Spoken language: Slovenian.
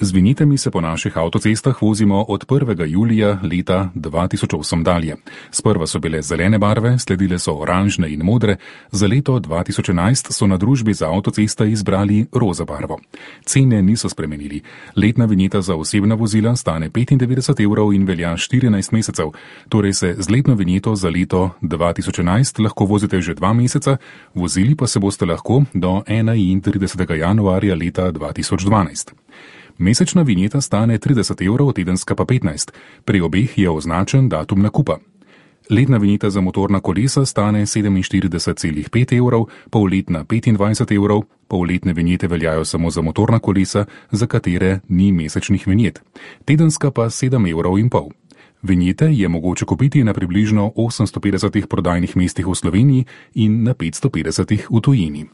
Z vinjetami se po naših avtocestah vozimo od 1. julija leta 2008 dalje. Sprva so bile zelene barve, sledile so oranžne in modre, za leto 2011 so na družbi za avtoceste izbrali roza barvo. Cene niso spremenili. Letna vinjeta za osebna vozila stane 95 evrov in velja 14 mesecev, torej se z letno vinjeto za leto 2011 lahko vozite že 2 meseca, vozili pa se boste lahko do 31. januarja leta 2012. Mesečna vinjeta stane 30 evrov, tedenska pa 15. Pri obeh je označen datum nakupa. Letna vinjeta za motorna kolesa stane 47,5 evrov, polletna 25 evrov, polletne vinjete veljajo samo za motorna kolesa, za katere ni mesečnih vinjet. Tedenska pa 7,5 evrov. Vinjete je mogoče kupiti na približno 850 prodajnih mestih v Sloveniji in na 550 v tujini.